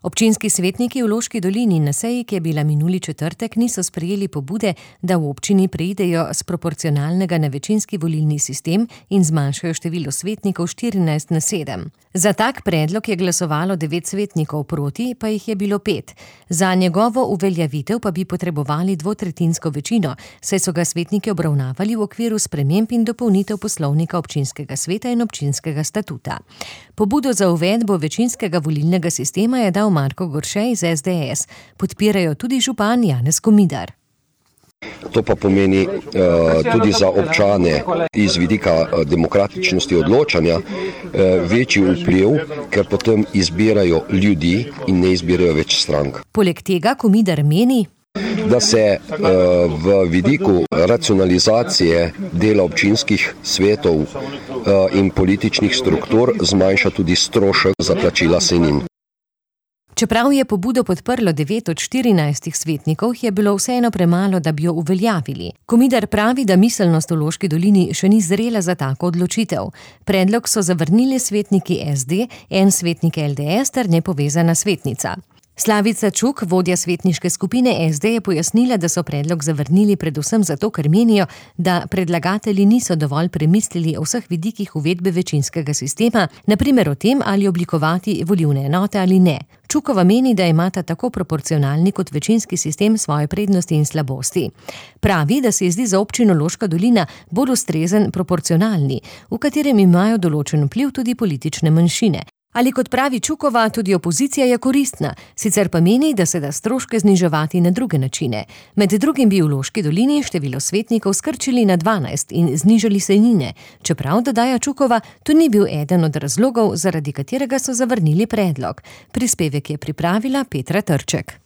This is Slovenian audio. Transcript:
Občinski svetniki v Loški dolini na seji, ki je bila minuli četrtek, niso sprejeli pobude, da v občini preidejo s proporcionalnega na večinski volilni sistem in zmanjšajo število svetnikov 14 na 7. Za tak predlog je glasovalo 9 svetnikov, proti pa jih je bilo 5. Za njegovo uveljavitev pa bi potrebovali dvotretjinsko večino, saj so ga svetniki obravnavali v okviru sprememb in dopolnitev poslovnika občinskega sveta in občinskega statuta. Pobudo za uvedbo večinskega volilnega sistema je dal Marko Gorše iz SDS. Podpirajo tudi župan Janez Komidar. To pa pomeni tudi za občane iz vidika demokratičnosti odločanja večji vpliv, ker potem izbirajo ljudi in ne izbirajo več strank. Poleg tega Komidar meni, da se v vidiku racionalizacije dela občinskih svetov in političnih struktur zmanjša tudi strošek za plačila sejnin. Čeprav je pobudo podprlo 9 od 14 svetnikov, je bilo vseeno premalo, da bi jo uveljavili. Komidar pravi, da miselnost v Loški dolini še ni zrela za tako odločitev. Predlog so zavrnili svetniki SD, en svetnik LDS ter nepovezana svetnica. Slavica Čuk, vodja svetniške skupine SD, je pojasnila, da so predlog zavrnili predvsem zato, ker menijo, da predlagatelji niso dovolj premislili o vseh vidikih uvedbe večinskega sistema, na primer o tem, ali oblikovati volilne enote ali ne. Čukova meni, da imata tako proporcionalni kot večinski sistem svoje prednosti in slabosti. Pravi, da se zdi za občino Loška dolina bolj ustrezen proporcionalni, v katerem imajo določen vpliv tudi politične manjšine. Ali kot pravi Čukova, tudi opozicija je koristna, sicer pa meni, da se da stroške zniževati na druge načine. Med drugim bi v Loški dolini število svetnikov skrčili na 12 in znižali sejnine. Čeprav, dodaja Čukova, to ni bil eden od razlogov, zaradi katerega so zavrnili predlog. Prispevek je pripravila Petra Trček.